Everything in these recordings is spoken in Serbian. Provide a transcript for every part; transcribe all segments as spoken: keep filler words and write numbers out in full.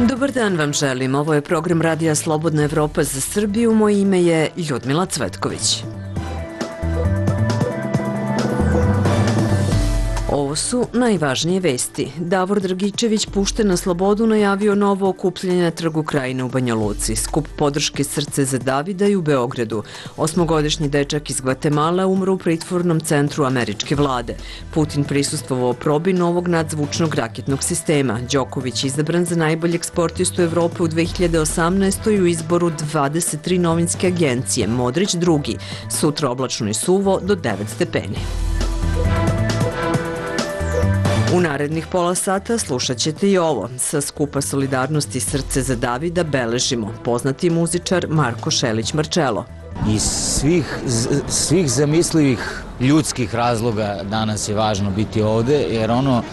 Dobar dan vam želim. Ovo je program Radija Slobodna Evropa za Srbiju. Moje ime je Ljudmila Cvetković. Ovo su najvažnije vesti. Davor Dragičević pušten na slobodu najavio novo okupljanje na Trgu Krajine u Banja Luci. Skup podrške Srce za Davida i u Beogradu. Osmogodišnji dečak iz Gvatemala umro u pritvornom centru američke vlade. Putin prisustvovao probi novog nadzvučnog raketnog sistema. Đoković izabran za najboljeg sportistu Evrope u dve hiljade osamnaestoj u izboru dvadeset tri novinske agencije. Modrić drugi. Sutra oblačno i suvo do devet stepeni. U narednih pola sata slušat ćete i ovo. Sa skupa Solidarnosti Srce za Davida beležimo poznati muzičar Marko Šelić-Marčelo. Iz svih, svih zamislivih ljudskih razloga danas je važno biti ovde, jer ono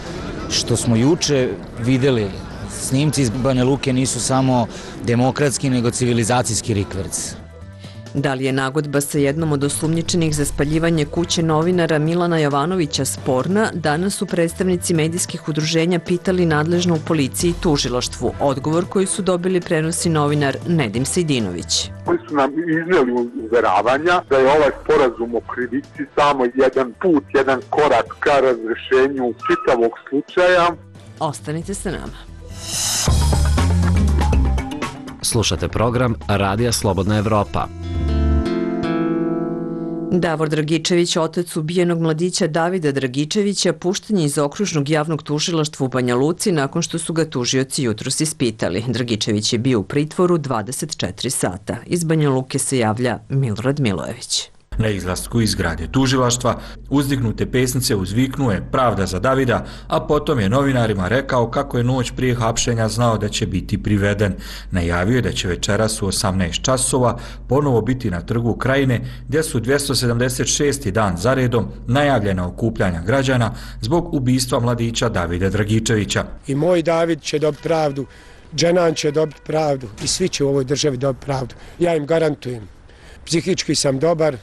što smo juče videli, snimci iz Banja Luke nisu samo demokratski, nego civilizacijski rikverc. Da li je nagodba sa jednom od osumnjičenih za spaljivanje kuće novinara Milana Jovanovića sporna, danas su predstavnici medijskih udruženja pitali nadležno u policiji i tužilaštvu. Odgovor koji su dobili prenosi novinar Nedim Sejdinović. Oni su nam iznijeli uveravanja da je ovaj sporazum o krivici samo jedan put, jedan korak ka razrešenju čitavog slučaja. Ostanite sa nama. Slušate program Radija Slobodna Evropa. Davor Dragičević, otac ubijenog mladića Davida Dragičevića, pušten je iz okružnog javnog tužilaštva u Banja Luci nakon što su ga tužioci jutros ispitali. Dragičević je bio u pritvoru dvadeset četiri sata. Iz Banja Luke se javlja Milorad Milojević. Na izlasku iz zgrade tužilaštva uzdignute pesnice uzviknuje pravda za Davida, a potom je novinarima rekao kako je noć prije hapšenja znao da će biti priveden. Najavio je da će večeras u osamnaest časova ponovo biti na Trgu Krajine, gdje su dvjesto sedamdeset šesti dan zaredom najavljena okupljanja građana zbog ubistva mladića Davida Dragičevića. I moj David će dobiti pravdu, Dženan će dobiti pravdu i svi će u ovoj državi dobiti pravdu. Ja im garantujem. Psihički sam dobar,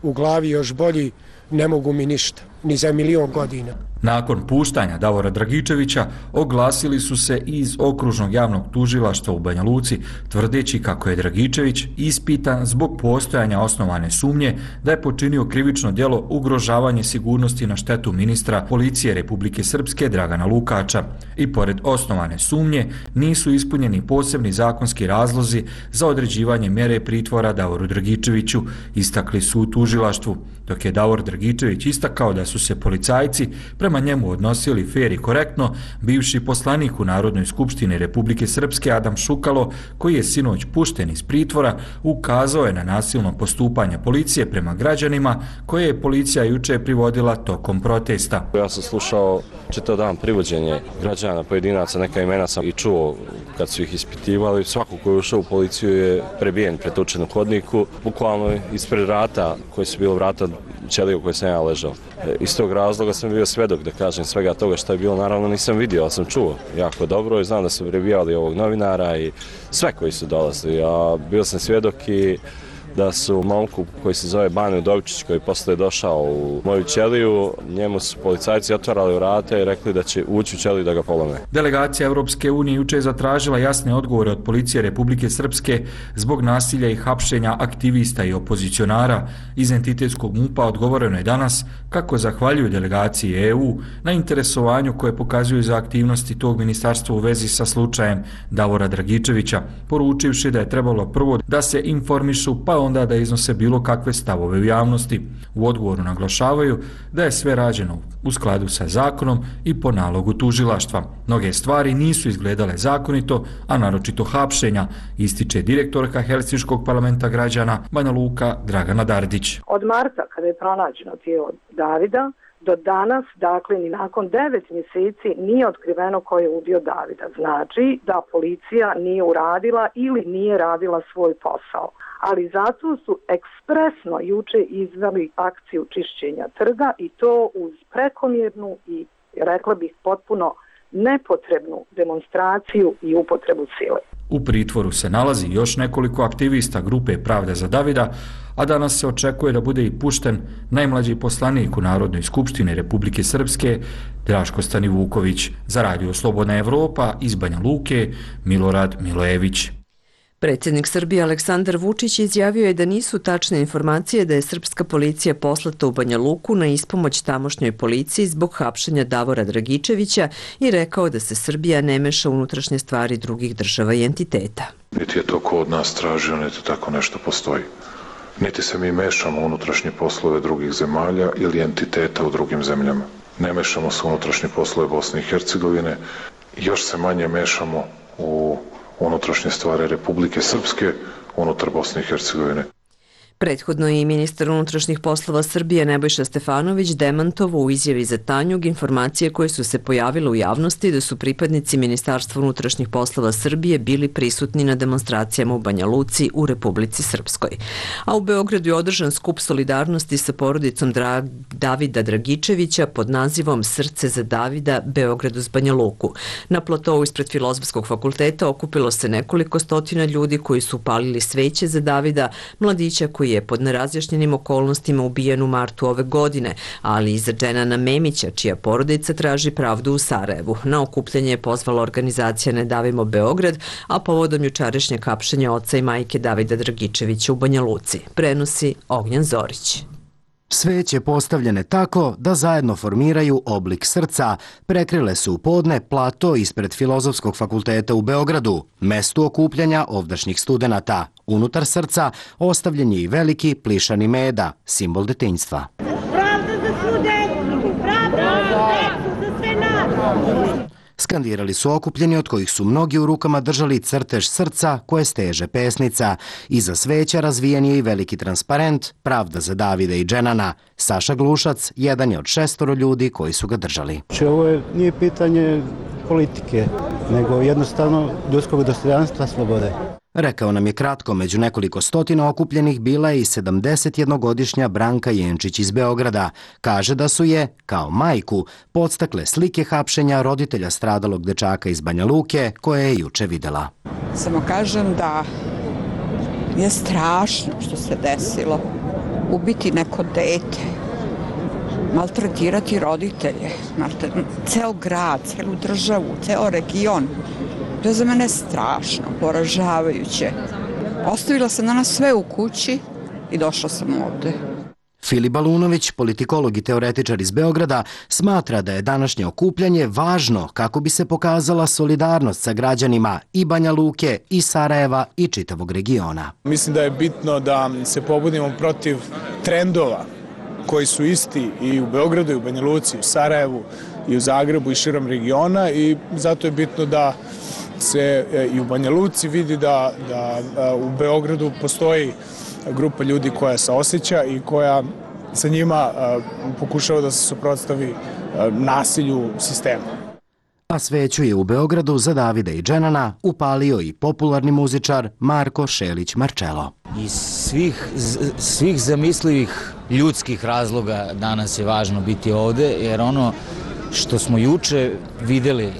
u glavi još bolji, ne mogu mi ništa, ni za milion godina. Nakon puštanja Davora Dragičevića oglasili su se iz okružnog javnog tužilaštva u Banja Luci, tvrdeći kako je Dragičević ispitan zbog postojanja osnovane sumnje da je počinio krivično djelo ugrožavanje sigurnosti na štetu ministra policije Republike Srpske Dragana Lukača. I pored osnovane sumnje nisu ispunjeni posebni zakonski razlozi za određivanje mjere pritvora Davoru Dragičeviću, istakli su u tužilaštvu, dok je Davor Dragičević istakao da su se policajci prema njemu odnosili fer i korektno. Bivši poslanik u Narodnoj skupštini Republike Srpske Adam Šukalo, koji je sinoć pušten iz pritvora, ukazao je na nasilno postupanje policije prema građanima koje je policija juče privodila tokom protesta. Ja sam slušao čitav dan privođenje građana, pojedinaca, neka imena sam i čuo kad su ih ispitivali. Svako koji je ušao u policiju je prebijen, pretučen u hodniku, bukvalno ispred vrata koje su bilo vrata ćelije u kojoj sam ja ležao. Iz tog razloga sam bio svedok, da kažem, svega toga što je bilo. Naravno nisam vidio, ali sam čuo jako dobro i znam da su prebijali ovog novinara i sve koji su dolazili. A bio sam svjedok i da su momku koji se zove Bane Udovičić, koji posle je došao u moju ćeliju, njemu su policajci otvarali vrata i rekli da će ući u ćeliju da ga polome. Delegacija Evropske unije juče je zatražila jasne odgovore od policije Republike Srpske zbog nasilja i hapšenja aktivista i opozicionara. Iz entitetskog MUP-a odgovoreno je danas kako zahvaljuju delegaciji E U na interesovanju koje pokazuju za aktivnosti tog ministarstva u vezi sa slučajem Davora Dragičevića, poručivši da je trebalo prvo da se informišu pa onda da iznose bilo kakve stavove u javnosti. U odgovoru naglašavaju da je sve rađeno u skladu sa zakonom i po nalogu tužilaštva. Mnoge stvari nisu izgledale zakonito, a naročito hapšenja, ističe direktorka Helsinškog parlamenta građana Banja Luka Dragana Dardić. Od marta kada je pronađeno tijelo Davida do danas, dakle ni nakon devet mjeseci nije otkriveno ko je ubio Davida. Znači da policija nije uradila ili nije radila svoj posao. Ali zato su ekspresno juče izveli akciju čišćenja trga i to uz prekomjernu i, rekla bih, potpuno nepotrebnu demonstraciju i upotrebu sile. U pritvoru se nalazi još nekoliko aktivista grupe Pravda za Davida, a danas se očekuje da bude i pušten najmlađi poslanik u Narodnoj skupštini Republike Srpske, Draško Stanivuković. Za Radio Slobodna Evropa iz Banja Luke, Milorad Milojević. Predsjednik Srbije Aleksandar Vučić izjavio je da nisu tačne informacije da je srpska policija poslata u Banja Luku na ispomoć tamošnjoj policiji zbog hapšenja Davora Dragičevića i rekao da se Srbija ne meša u unutrašnje stvari drugih država i entiteta. Niti je to ko od nas tražio, niti tako nešto postoji. Niti se mi mešamo u unutrašnje poslove drugih zemalja ili entiteta u drugim zemljama. Ne mešamo se u unutrašnje poslove Bosne i Hercegovine, još se manje mešamo u unutrašnje stvari Republike Srpske unutar Bosne i Hercegovine. Prethodno je i ministar unutrašnjih poslova Srbije Nebojša Stefanović demantovao u izjavi za Tanjug informacije koje su se pojavile u javnosti da su pripadnici Ministarstva unutrašnjih poslova Srbije bili prisutni na demonstracijama u Banja Luci u Republici Srpskoj. A u Beogradu je održan skup solidarnosti sa porodicom Dra Davida Dragičevića pod nazivom Srce za Davida Beograd uz Banja Luku. Na platovu ispred Filozofskog fakulteta okupilo se nekoliko stotina ljudi koji su upalili sveće za Davida, mladića koji je pod nerazjašnjenim okolnostima ubijen u martu ove godine, ali i za Dženana Memića, čija porodica traži pravdu u Sarajevu. Na okupljanje je pozvala organizacija Ne davimo Beograd, a povodom jučerašnjeg hapšenja oca i majke Davida Dragičevića u Banja Luci. Prenosi Ognjan Zorić. Sveće postavljene tako da zajedno formiraju oblik srca, prekrile su u podne plato ispred Filozofskog fakulteta u Beogradu, mestu okupljanja ovdašnjih studenata. Unutar srca ostavljen je i veliki plišani meda, simbol detinjstva. Pravda za svu decu! Pravda za decu, za sve nas! Skandirali su okupljeni od kojih su mnogi u rukama držali crtež srca koje steže pesnica. Iza sveća razvijen je i veliki transparent Pravda za Davida i Dženana. Saša Glušac jedan je od šestoro ljudi koji su ga držali. Ovo je, nije pitanje politike, nego jednostavno ljudskog dostojanstva, slobode. Rekao nam je kratko, među nekoliko stotina okupljenih bila je i sedamdesetjednogodišnja Branka Jenčić iz Beograda. Kaže da su je, kao majku, podstakle slike hapšenja roditelja stradalog dečaka iz Banja Luke koje je juče videla. Samo kažem da je strašno što se desilo. Ubiti neko dete, maltretirati roditelje, ceo grad, celu državu, ceo region. To je za mene strašno, poražavajuće. Ostavila sam danas sve u kući i došla sam ovde. Filip Balunović, politikolog i teoretičar iz Beograda, smatra da je današnje okupljanje važno kako bi se pokazala solidarnost sa građanima i Banja Luke, i Sarajeva, i čitavog regiona. Mislim da je bitno da se pobudimo protiv trendova koji su isti i u Beogradu, i u Banja Luci, i u Sarajevu, i u Zagrebu, i širom regiona, i zato je bitno da se i u Banja Luci vidi da, da u Beogradu postoji grupa ljudi koja se osjeća i koja sa njima pokušava da se suprotstavi nasilju sistema. A sveću je u Beogradu za Davida i Dženana upalio i popularni muzičar Marko Šelić Marčelo. Iz svih, svih zamislivih ljudskih razloga danas je važno biti ovde, jer ono što smo juče videli,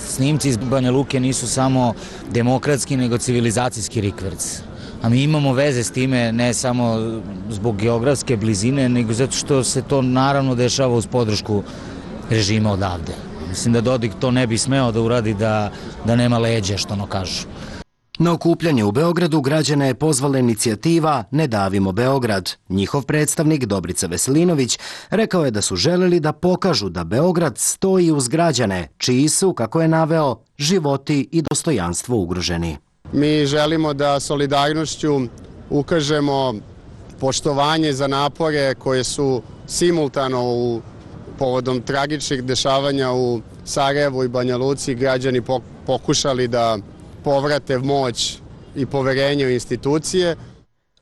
snimci iz Banja Luke nisu samo demokratski, nego civilizacijski rikverc. A mi imamo veze s time ne samo zbog geografske blizine, nego zato što se to naravno dešava uz podršku režima odavde. Mislim da Dodik to ne bi smeo da uradi da, da nema leđa, što ono kažu. Na okupljanje u Beogradu građane je pozvala inicijativa Ne davimo Beograd. Njihov predstavnik Dobrica Veselinović rekao je da su želeli da pokažu da Beograd stoji uz građane, čiji su, kako je naveo, životi i dostojanstvo ugroženi. Mi želimo da solidarnošću ukažemo poštovanje za napore koje su simultano u povodom tragičnih dešavanja u Sarajevu i Banja Luci građani pokušali da povrate moć i poverenje u institucije.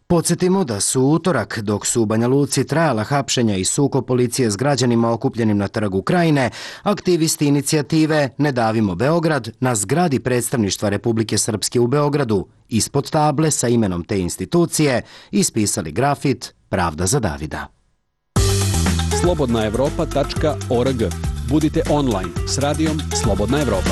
Podsjetimo da su utorak, dok su u Banja Luci trajala hapšenja i sukob policije s građanima okupljenim na Trgu Krajine, aktivisti inicijative Ne davimo Beograd na zgradi predstavništva Republike Srpske u Beogradu ispod table sa imenom te institucije ispisali grafit Pravda za Davida. slobodna evropa tačka org. Budite online s radijom Slobodna Evropa.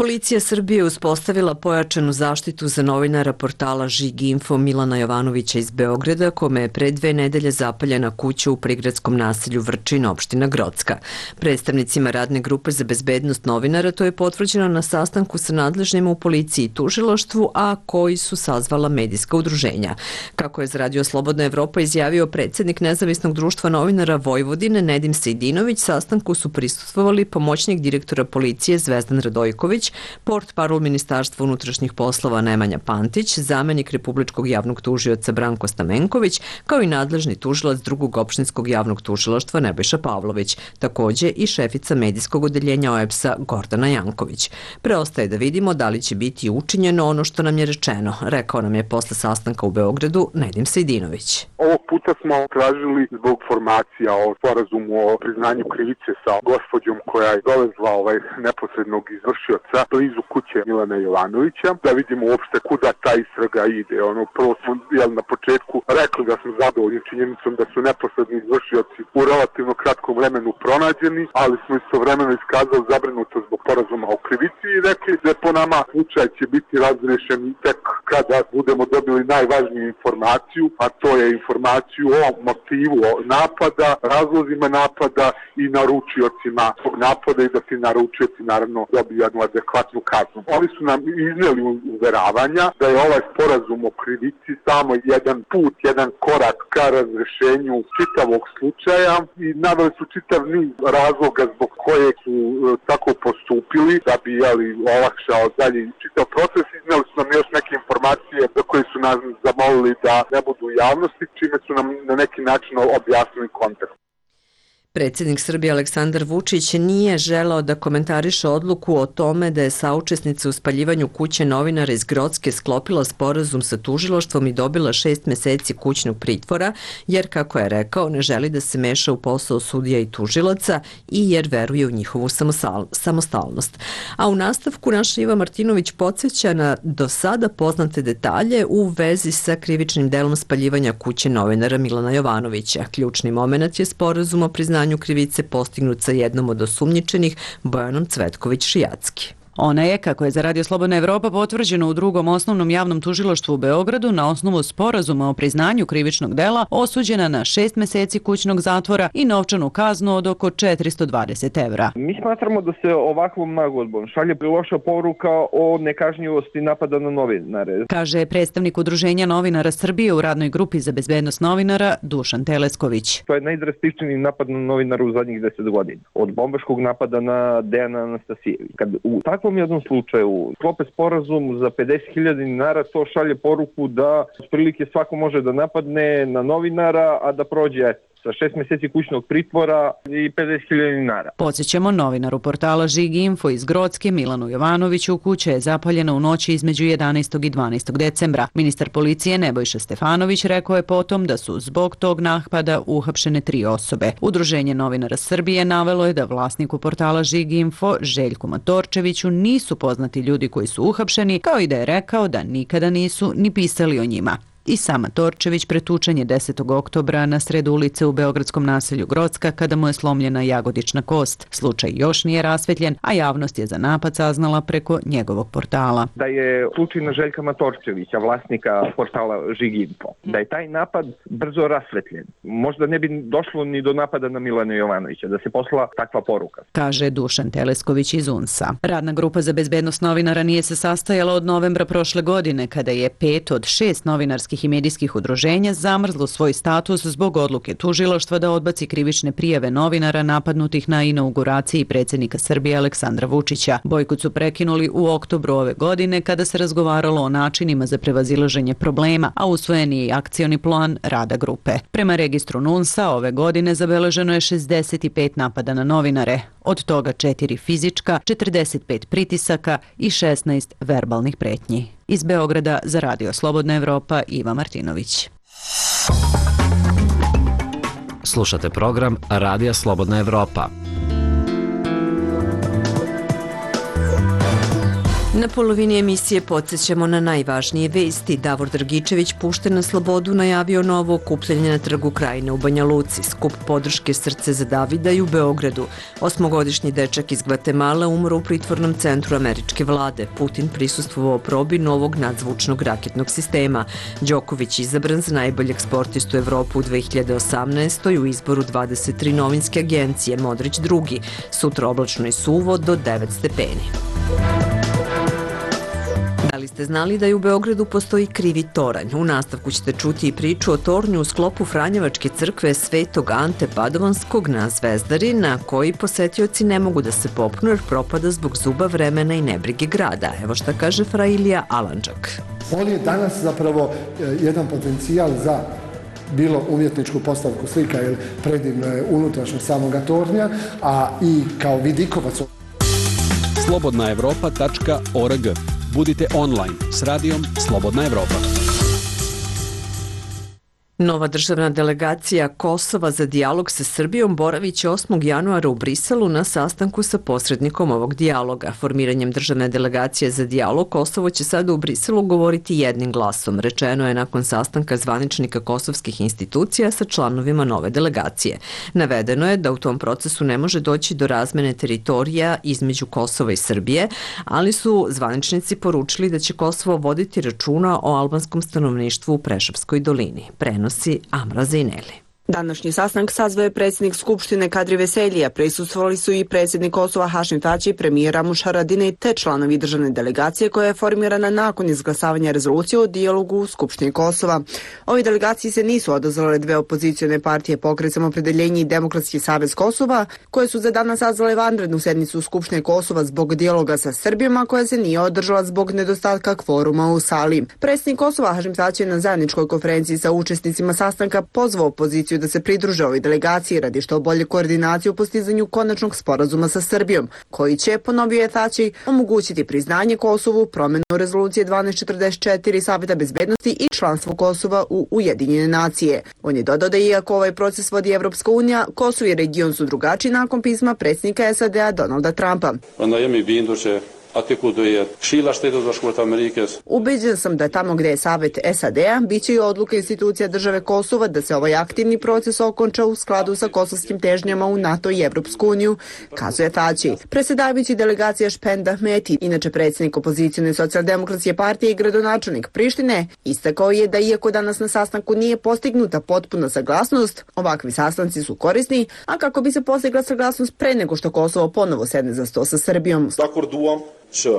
Policija Srbije uspostavila pojačanu zaštitu za novinara portala Žig Info Milana Jovanovića iz Beograda, kome je pre dve nedelje zapaljena kuća u prigradskom naselju Vrčin, opština Grocka. Predstavnicima radne grupe za bezbednost novinara to je potvrđeno na sastanku sa nadležnjima u policiji i tužilaštvu, a koji su sazvala medijska udruženja. Kako je za Radio Slobodna Evropa izjavio predsjednik Nezavisnog društva novinara Vojvodine Nedim Sejdinović, sastanku su prisustvovali pomoćnik direktora policije Zvezdan Radojković, portparol Ministarstva unutrašnjih poslova Nemanja Pantić, zamenik Republičkog javnog tužioca Branko Stamenković, kao i nadležni tužilac drugog opštinskog javnog tužilaštva Nebojša Pavlović, takođe i šefica medijskog odeljenja O E P S-a Gordana Janković. Preostaje da vidimo da li će biti učinjeno ono što nam je rečeno, rekao nam je posle sastanka u Beogradu Nedim Sejdinović. Ovog puta smo tražili zbog formacija o sporazumu o priznanju krivice sa gospođom koja je dovezla ovaj neposrednog izvršioca blizu kuće Milana Jovanovića, da vidimo uopšte kuda ta istraga ide. Ono, prvo smo jel, na početku rekli da smo zadovoljni činjenicom da su neposredni izvršioci u relativno kratkom vremenu pronađeni, ali smo istovremeno iskazali zabrinutost zbog sporazuma o krivici i rekli da po nama slučaj će biti razrešen tek kada budemo dobili najvažniju informaciju, a to je informaciju o motivu napada, razlozima napada i naručiocima tog napada i da ti naručioci naravno dobiju jednu adekvatnu kaznu. Oni su nam iznijeli uveravanja da je ovaj sporazum o krivici samo jedan put, jedan korak ka razrešenju čitavog slučaja i naveli su čitav niz razloga zbog koje su e, tako postupili da bi jeli, olakšao dalje čitav proces. Iznijeli su nam još neke informacije za koje su nas zamolili da ne budu u javnosti, čime su nam na neki način objasnili kontekst. Predsjednik Srbije Aleksandar Vučić nije želeo da komentariše odluku o tome da je saučesnica u spaljivanju kuće novinara iz Grocke sklopila sporazum sa tužilaštvom i dobila šest meseci kućnog pritvora, jer, kako je rekao, ne želi da se meša u posao sudija i tužilaca i jer veruje u njihovu samostalnost. A u nastavku naša Iva Martinović podsjeća na do sada poznate detalje u vezi sa krivičnim delom spaljivanja kuće novinara Milana Jovanovića. Ključni moment je sporazum o priznanju krivice postignut sa jednom od osumnjičenih, Bojanom Cvetković-Šijacki. Ona je, kako je za Radio Slobodna Evropa potvrđeno u drugom osnovnom javnom tužilaštvu u Beogradu, na osnovu sporazuma o priznanju krivičnog dela osuđena na šest meseci kućnog zatvora i novčanu kaznu od oko četiristo dvadeset evra. Mi smatramo da se ovakvom nagodbom šalje loša poruka o nekažnjivosti napada na novinare, kaže predstavnik Udruženja novinara Srbije u radnoj grupi za bezbednost novinara Dušan Telesković. To je najdrastičniji napad na novinara u zadnjih deset godina. Od bombaškog napada na Dejana Anastasijevića. Kad u U takvom jednom slučaju sklope sporazum za pedeset hiljada dinara, to šalje poruku da otprilike svako može da napadne na novinara, a da prođe sa šest meseci kućnog pritvora i pedeset hiljada dinara. Podsjećamo, novinaru portala Žig Info iz Grocke Milanu Jovanoviću kuća je zapaljena u noći između jedanaestog i dvanaestog decembra. Ministar policije Nebojša Stefanović rekao je potom da su zbog tog napada uhapšene tri osobe. Udruženje novinara Srbije navelo je da vlasniku portala Žig Info Željku Matorčeviću nisu poznati ljudi koji su uhapšeni, kao i da je rekao da nikada nisu ni pisali o njima. I sam Matorčević pretučen je desetog oktobra na sredu ulice u beogradskom naselju Grocka kada mu je slomljena jagodična kost. Slučaj još nije rasvetljen, a javnost je za napad saznala preko njegovog portala. Da je slučaj na Željka Matorčevića, vlasnika portala Žig Info, da je taj napad brzo rasvetljen. Možda ne bi došlo ni do napada na Milana Jovanovića, da se posla takva poruka, kaže Dušan Telesković iz U N S A. Radna grupa za bezbednost novinara nije se sastajala od novembra prošle godine, kada je pet od šest novinarskih i medijskih udruženja zamrzlo svoj status zbog odluke tužilaštva da odbaci krivične prijave novinara napadnutih na inauguraciji predsjednika Srbije Aleksandra Vučića. Bojkot su prekinuli u oktobru ove godine kada se razgovaralo o načinima za prevazilaženje problema, a usvojen je i akcioni plan rada grupe. Prema registru N U N S A ove godine zabeleženo je šezdeset pet napada na novinare, od toga četiri fizička, četrdeset pet pritisaka i šesnaest verbalnih pretnji. Iz Beograda za Radio Slobodna Evropa, Iva Martinović. Slušate program Radija Slobodna Evropa. Na polovini emisije podsjećamo na najvažnije vesti. Davor Dragičević pušten na slobodu najavio novo okupljanje na Trgu Krajine u Banja Luci, skup podrške Srce za Davida i u Beogradu. Osmogodišnji dečak iz Gvatemala umro u pritvornom centru američke vlade. Putin prisustvovao probi novog nadzvučnog raketnog sistema. Đoković izabran za najboljeg sportistu Evropu u dve hiljade osamnaestoj. u izboru dvadeset tri novinske agencije, Modrić drugi. Sutra oblačno i suvo do devet stepeni. Da li ste znali da i u Beogradu postoji krivi toranj? U nastavku ćete čuti i priču o tornju u sklopu Franjevačke crkve Svetog Ante Padovanskog na Zvezdari, na koji posetioci ne mogu da se popnu jer propada zbog zuba vremena i nebrige grada. Evo šta kaže fra Ilija Alandžak. On je danas zapravo jedan potencijal za bilo umjetničku postavku slika, jer predivno je unutrašnje samoga tornja, a i kao vidikovac. slobodna evropa tačka org. Budite online s radijom Slobodna Evropa. Nova državna delegacija Kosova za dijalog sa Srbijom boravit će osmog januara u Briselu na sastanku sa posrednikom ovog dijaloga. Formiranjem državne delegacije za dijalog Kosovo će sada u Briselu govoriti jednim glasom, rečeno je nakon sastanka zvaničnika kosovskih institucija sa članovima nove delegacije. Navedeno je da u tom procesu ne može doći do razmene teritorija između Kosova i Srbije, ali su zvaničnici poručili da će Kosovo voditi računa o albanskom stanovništvu u Preševskoj dolini. Prenos Amra Zineli. Današnji sastanak sazvao je predsjednik Skupštine Kadri Veseljija, prisustvovali su i predsjednik Kosova Hašim Tači, premijer Ramuš Haradinaj te članovi državne delegacije koja je formirana nakon izglasavanja rezolucije o dijalogu u Skupštini Kosova. Ovi delegaciji se nisu odazvale dve opozicione partije, Pokret Samopredeljenje i Demokratski savez Kosova, koje su za danas sazvale vanrednu sednicu Skupštine Kosova zbog dijaloga sa Srbijama, koja se nije održala zbog nedostatka kvoruma u sali. Predsjednik Kosova Hašim Tači je na zajedničkoj konferenciji sa učesnicima sastanka pozvao opoziciju da se pridruže ovoj delegaciji radi što bolje koordinaciju u postizanju konačnog sporazuma sa Srbijom, koji će, ponovio je Tači, omogućiti priznanje Kosovu, promenu rezolucije dvanaest četrdeset četiri Saveta bezbednosti i članstvo Kosova u Ujedinjene nacije. On je dodao da iako ovaj proces vodi Evropska unija, Kosovo i region su drugačiji nakon pisma predsjednika S A D-a Donalda Trumpa. Ubeđen sam da tamo gde je Savet S A D-a biće i odluka institucija države Kosova da se ovaj aktivni proces okonča u skladu sa kosovskim težnjama u NATO i Evropsku uniju, kazuje Tači. Predsjedavajući delegacija Špend Ahmeti, inače predsjednik opozicione socijaldemokratske partije i gradonačelnik Prištine, istakao je da iako danas na sastanku nije postignuta potpuna saglasnost, ovakvi sastanci su korisni, a kako bi se postigla saglasnost pre nego što Kosovo ponovo sedne za sto sa Srbijom. që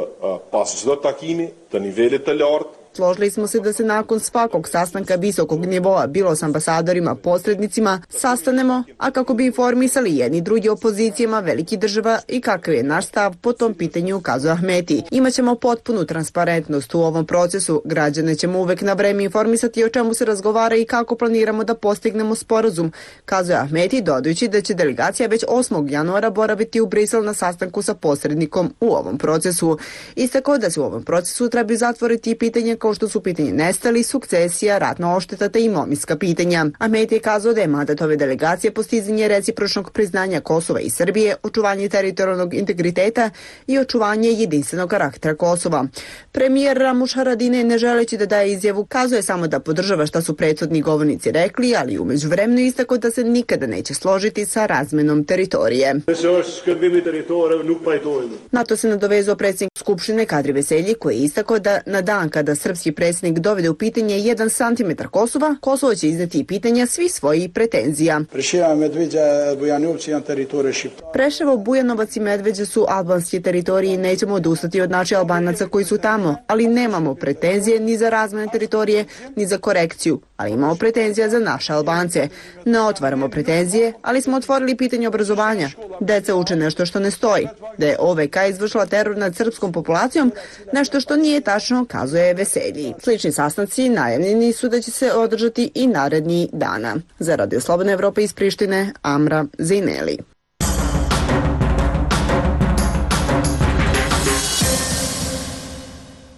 pas çdo takimi të nivelit të lartë Složili smo se da se nakon svakog sastanka visokog nivoa, bilo s ambasadorima, posrednicima, sastanemo, a kako bi informisali jedni drugi opozicijama velikih država i kakav je naš stav po tom pitanju, ukazuje Ahmeti. Imaćemo potpunu transparentnost u ovom procesu, građane ćemo uvek na vreme informisati o čemu se razgovara i kako planiramo da postignemo sporazum, kazuje Ahmeti, dodajući da će delegacija već osmog januara boraviti u Brisel na sastanku sa posrednikom u ovom procesu. Istakao da se u ovom procesu trebaju zatvoriti i pitanje kao što su pitanje nestali, sukcesija, ratna ošteta te imovinska pitanja. Ahmeti je kazao da je mandat ove delegacije postizanje recipročnog priznanja Kosova i Srbije, očuvanje teritorijalnog integriteta i očuvanje jedinstvenog karaktera Kosova. Premijer Ramuš Haradinaj, ne želeći da daje izjavu, kazuje samo da podržava šta su prethodni govornici rekli, ali u međuvremenu istakao da se nikada neće složiti sa razmenom teritorije. Na to se nadovezao predsjednik Skupštine Kadri Veselji, koji je istakao da na dan kada srpski predsjednik dovede u pitanje jedan santimetar Kosova, Kosovo će izneti i pitanja svih svojih pretenzija. Preševo, Bujanovac i Medveđa su albanski teritoriji i nećemo odustati od naših Albanaca koji su tamo, ali nemamo pretenzije ni za razmene teritorije, ni za korekciju, ali imamo pretenzija za naše Albance. Ne otvaramo pretenzije, ali smo otvorili pitanje obrazovanja. Deca uče nešto što ne stoji. Da je O V K izvršila teror nad srpskom populacijom, nešto što nije tačno, kazuje Veselji. Slični sastanci najavljeni su da će se održati i naredni dana. Za Radio Slobodna Evropa iz Prištine, Amra Zineli.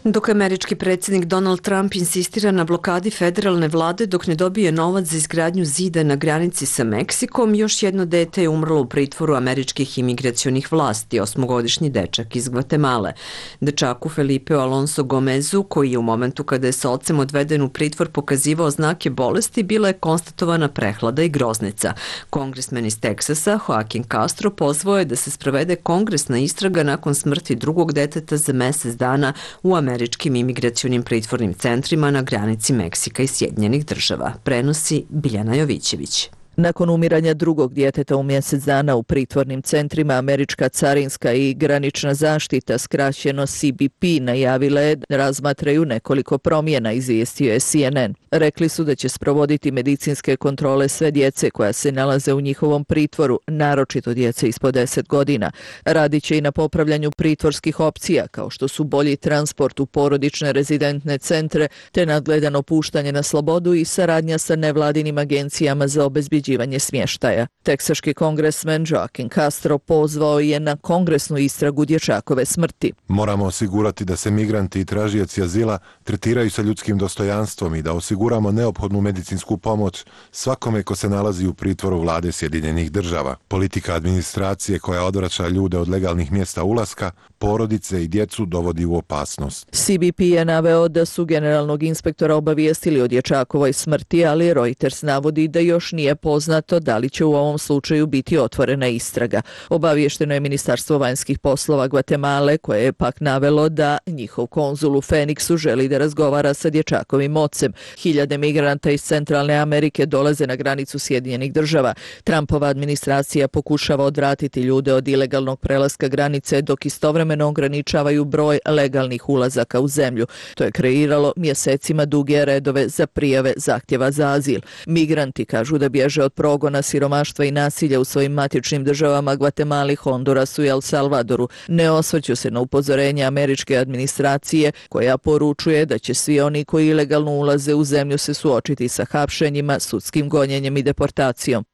Dok američki predsjednik Donald Trump insistira na blokadi federalne vlade dok ne dobije novac za izgradnju zida na granici sa Meksikom, još jedno dete je umrlo u pritvoru američkih imigracionih vlasti, osmogodišnji dečak iz Gvatemale. Dečaku Felipeu Alonso Gomezu, koji je u momentu kada je sa ocem odveden u pritvor pokazivao znake bolesti, bila je konstatovana prehlada i groznica. Kongresmen iz Teksasa, Joaquin Castro, pozvao je da se sprovede kongresna istraga nakon smrti drugog deteta za mesec dana u američkim imigracionim pritvornim centrima na granici Meksika i Sjedinjenih država, prenosi Biljana Jovićević. Nakon umiranja drugog djeteta u mjesec dana u pritvornim centrima, američka carinska i granična zaštita, skraćeno C B P, najavila je da razmatraju nekoliko promjena, izvijestio je C N N. Rekli su da će sprovoditi medicinske kontrole sve djece koja se nalaze u njihovom pritvoru, naročito djece ispod deset godina. Radit će i na popravljanju pritvorskih opcija, kao što su bolji transport u porodične rezidentne centre, te nadgledano puštanje na slobodu i saradnja sa nevladinim agencijama za obezbeđivanje smještaja. Teksaški kongresmen Joaquin Castro pozvao je na kongresnu istragu dječakove smrti. Moramo osigurati da se migranti i tražioci azila tretiraju sa ljudskim dostojanstvom i da osiguramo neophodnu medicinsku pomoć svakome ko se nalazi u pritvoru vlade Sjedinjenih država. Politika administracije koja odvraća ljude od legalnih mjesta ulaska, porodice i djecu dovodi u opasnost. C B P je naveo da su generalnog inspektora obavijestili o dječakovoj smrti, ali Reuters navodi da još nije poznato da li će u ovom slučaju biti otvorena istraga. Obavješteno je Ministarstvo vanjskih poslova Gvatemale, koje je pak navelo da njihov konzul u Feniksu želi da razgovara sa dječakovim ocem. Hiljade migranta iz Centralne Amerike dolaze na granicu Sjedinjenih država. Trumpova administracija pokušava odvratiti ljude od ilegalnog prelaska granice, dok istovremeno ograničavaju broj legalnih ulazaka u zemlju. To je kreiralo mjesecima duge redove za prijave zahtjeva za azil. Migranti kažu da bježe od progona, siromaštva i nasilja u svojim matičnim državama Gvatemali, Hondurasu i El Salvadoru. Ne osvrću se na upozorenje američke administracije, koja poručuje da će svi oni koji ilegalno ulaze u zemlju se suočiti sa hapšenjima, sudskim gonjenjem i deportacijom.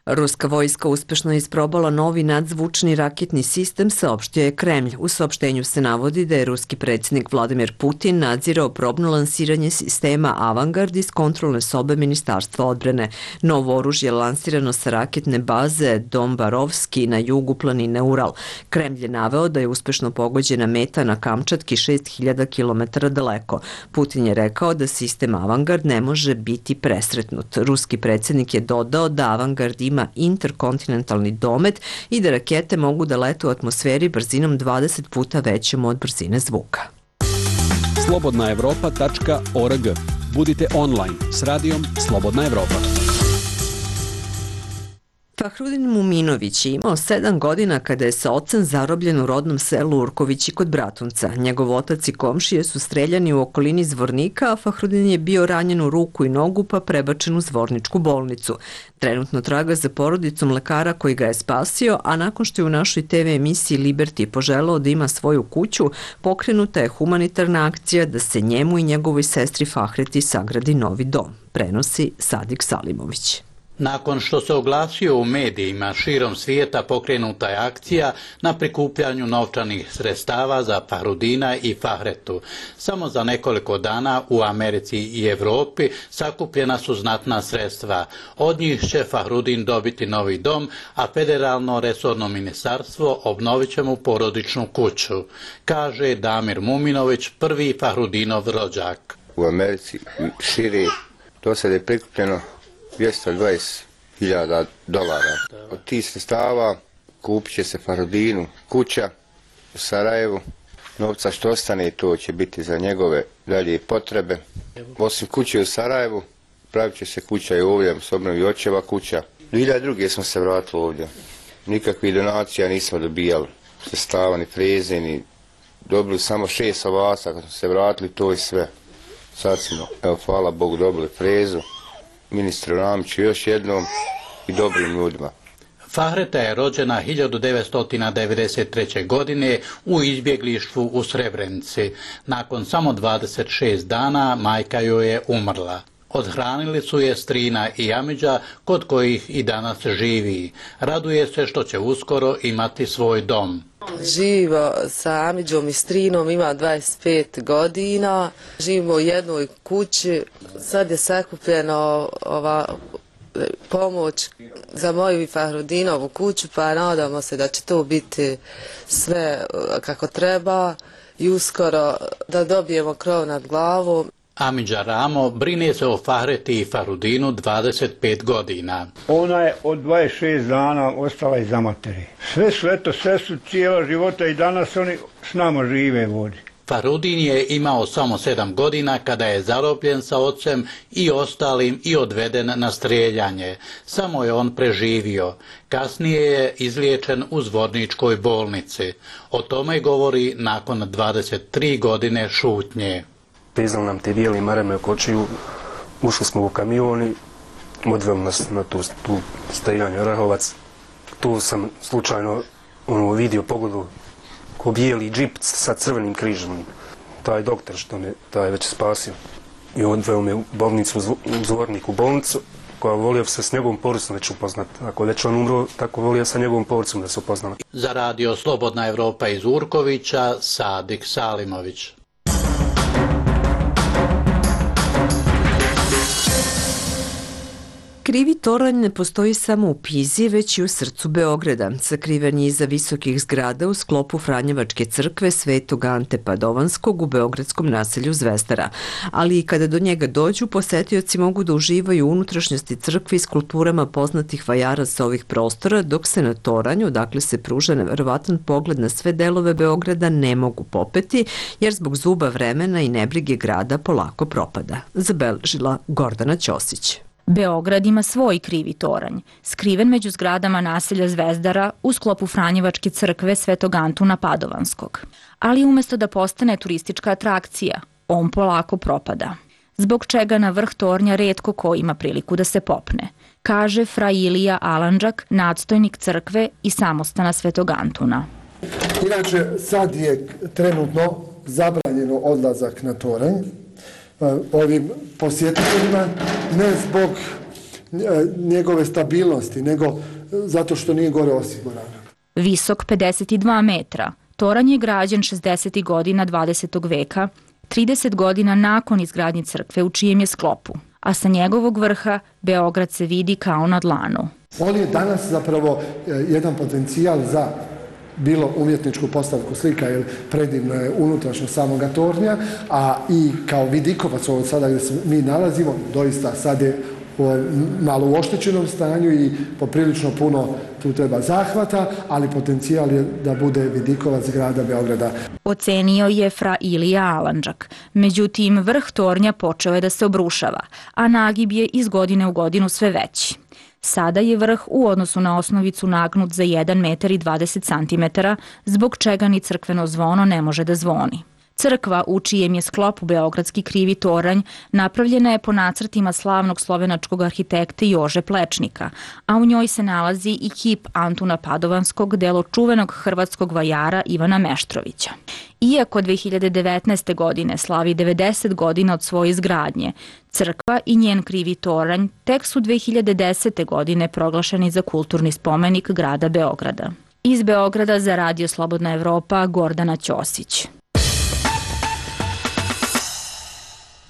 Ruska vojska uspešno je isprobala novi nadzvučni raketni sistem, saopštio je Kremlj. U saopštenju se navodi da je ruski predsjednik Vladimir Putin nadzirao probno lansiranje sistema Avangard iz kontrolne sobe Ministarstva odbrane. Novo oružje je lansirano sa raketne baze Dombarovski na jugu planine Ural. Kremlj je naveo da je uspešno pogođena meta na Kamčatki šest hiljada kilometara daleko. Putin je rekao da sistem Avangard ne može biti presretnut. Ruski predsjednik je dodao da Avangard ima interkontinentalni domet i da rakete mogu da lete u atmosferi brzinom dvadeset puta većom od brzine zvuka. slobodna evropa tačka org. Budite online s radijom Slobodna Evropa. Fahrudin Muminović je imao sedam godina kada je sa ocem zarobljen u rodnom selu Urkovići kod Bratunca. Njegov otac i komšije su streljani u okolini Zvornika, a Fahrudin je bio ranjen u ruku i nogu pa prebačen u Zvorničku bolnicu. Trenutno traga za porodicom lekara koji ga je spasio, a nakon što je u našoj T V emisiji Liberty poželao da ima svoju kuću, pokrenuta je humanitarna akcija da se njemu i njegovoj sestri Fahreti sagradi novi dom, prenosi Sadik Salimović. Nakon što se oglasio u medijima širom svijeta, pokrenuta je akcija na prikupljanju novčanih sredstava za Fahrudina i Fahretu. Samo za nekoliko dana u Americi i Europi sakupljena su znatna sredstva. Od njih će Fahrudin dobiti novi dom, a federalno resorno ministarstvo obnovit će mu porodičnu kuću, kaže Damir Muminović, prvi Fahrudinov rođak. U Americi širi do sada je prikupljeno dvjesto dvadeset hiljada dolara. Od tih sredstava kupit će se Fahrudinu kuća u Sarajevu. Novca što ostane, to će biti za njegove dalje potrebe. Osim kuće u Sarajevu, pravit će se kuća i ovdje, s obnovi očeva kuća. dvije hiljade druge smo se vratili ovdje. Nikakvih donacija nismo dobijali. Sredstava, ni freze, ni dobili samo šest ovaca. Kad smo se vratili, to je sve. Sad smo, evo, hvala Bogu, dobili frezu. Ministru Ramiću još jednom i dobrim ljudima. Fahreta je rođena hiljadu devetsto devedeset treće. godine u izbjeglištvu u Srebrenici. Nakon samo dvadeset šest dana majka joj je umrla. Odhranili su je strina i Amidža, kod kojih i danas živi. Raduje se što će uskoro imati svoj dom. Živimo sa Amidžom i strinom, ima dvadeset pet godina. Živimo u jednoj kući. Sad je sakupljeno ova pomoć za moju i Fahrudinovu kuću, pa nadamo se da će to biti sve kako treba i uskoro da dobijemo krov nad glavom. Amidža Ramo brine se o Fahreti i Fahrudinu dvadeset pet godina. Ona je od dvadeset šest dana ostala iza materi. Sve su, eto, sve su cijela života i danas oni s nama žive vodi. Fahrudin je imao samo sedam godina kada je zarobljen sa ocem i ostalim i odveden na strijeljanje. Samo je on preživio. Kasnije je izliječen u Zvorničkoj bolnici. O tome govori nakon dvadeset tri godine šutnje. Vezali nam te bijeli marame oko očiju, ušli smo u kamion i odveli nas na tu, tu stajanje Orahovac. Tu sam slučajno ono, vidio pogledu ko bijeli džip sa crvenim križom. Taj doktor što me taj već spasio. I odveo me u bolnicu, u Zvornik u bolnicu, koja volio se s njegovom porodicom već upoznati. Ako već on umro, tako volio sa njegovom porodicom da se upoznala. Za radio Slobodna Evropa iz Urkovića, Sadik Salimović. Krivi toranj ne postoji samo u Pizi, već i u srcu Beograda. Sakriven je iza visokih zgrada u sklopu Franjevačke crkve Svetog Ante Padovanskog u beogradskom naselju Zvezdara. Ali i kada do njega dođu, posetioci mogu da uživaju u unutrašnjosti crkve i skulpturama poznatih vajara sa ovih prostora, dok se na toranju, odakle se pruža neverovatan pogled na sve delove Beograda, ne mogu popeti, jer zbog zuba vremena i nebrige grada polako propada. Zabeležila Gordana Ćosić. Beograd ima svoj krivi toranj, skriven među zgradama naselja Zvezdara u sklopu Franjevačke crkve Svetog Antuna Padovanskog. Ali umesto da postane turistička atrakcija, on polako propada. Zbog čega na vrh tornja retko ko ima priliku da se popne, kaže fra Ilija Alandžak, nadstojnik crkve i samostana Svetog Antuna. Inače, sad je trenutno zabranjeno odlazak na toranj ovim posjetiteljima, ne zbog njegove stabilnosti, nego zato što nije gore osigurano. Visok pedeset dva metra, toranj je građen šezdesetih godina dvadesetog veka, trideset godina nakon izgradnje crkve u čijem je sklopu, a sa njegovog vrha Beograd se vidi kao na dlanu. On je danas zapravo jedan potencijal za bilo umjetničku postavku slika, jer predivno je unutrašnjo samoga tornja, a i kao vidikovac ovo sada gdje se mi nalazimo, doista sad je malo u oštećenom stanju i poprilično puno tu treba zahvata, ali potencijal je da bude vidikovac grada Beograda. Ocenio je fra Ilija Alandžak. Međutim, vrh tornja počeo je da se obrušava, a nagib je iz godine u godinu sve veći. Sada je vrh u odnosu na osnovicu nagnut za jedan metar i dvadeset centimetara, zbog čega ni crkveno zvono ne može da zvoni. Crkva, u čijem je sklopu beogradski krivi toranj, napravljena je po nacrtima slavnog slovenačkog arhitekta Jože Plečnika, a u njoj se nalazi i kip Antuna Padovanskog, delo čuvenog hrvatskog vajara Ivana Meštrovića. Iako dve hiljade devetnaeste. godine slavi devedeset godina od svoje izgradnje, crkva i njen krivi toranj tek su dve hiljade desete. godine proglašeni za kulturni spomenik grada Beograda. Iz Beograda za radio Slobodna Evropa, Gordana Ćosić.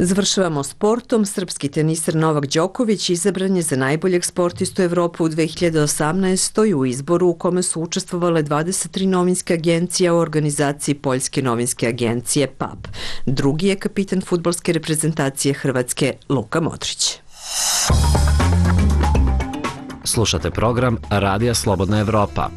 Završavamo sportom. Srpski teniser Novak Đoković izabran je za najboljeg sportistu Evrope u dve hiljade osamnaestoj. u izboru u kome su učestvovale dvadeset tri novinske agencije u organizaciji Poljske novinske agencije P A P. Drugi je kapitan fudbalske reprezentacije Hrvatske Luka Modrić. Slušate program Radija Slobodna Evropa.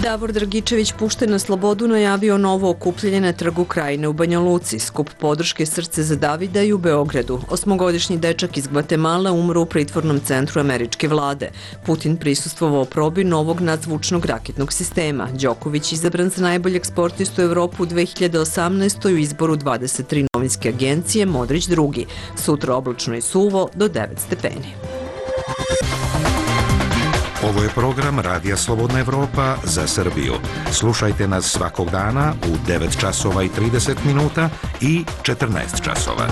Davor Dragičević, pušten na slobodu, najavio novo okupljanje na Trgu Krajine u Banja Luci. Skup podrške Srce za Davida i u Beogradu. Osmogodišnji dečak iz Gvatemala umro u pritvornom centru američke vlade. Putin prisustvovao probi novog nadzvučnog raketnog sistema. Đoković izabran za najboljeg sportistu Evropu u dve hiljade osamnaestoj. u izboru dvadeset tri novinske agencije, Modrić drugi. Sutra oblačno i suvo do devet stepeni. Ovo je program Radija Slobodna Evropa za Srbiju. Slušajte nas svakog dana u devet časova i trideset minuta i četrnaest časova.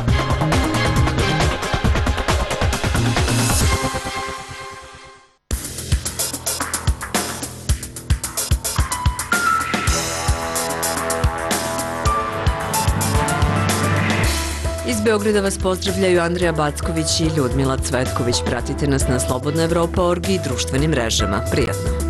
Iz Beograda vas pozdravljaju Andrija Backović i Ljudmila Cvetković. Pratite nas na slobodna evropa точка org i društvenim mrežama. Prijatno!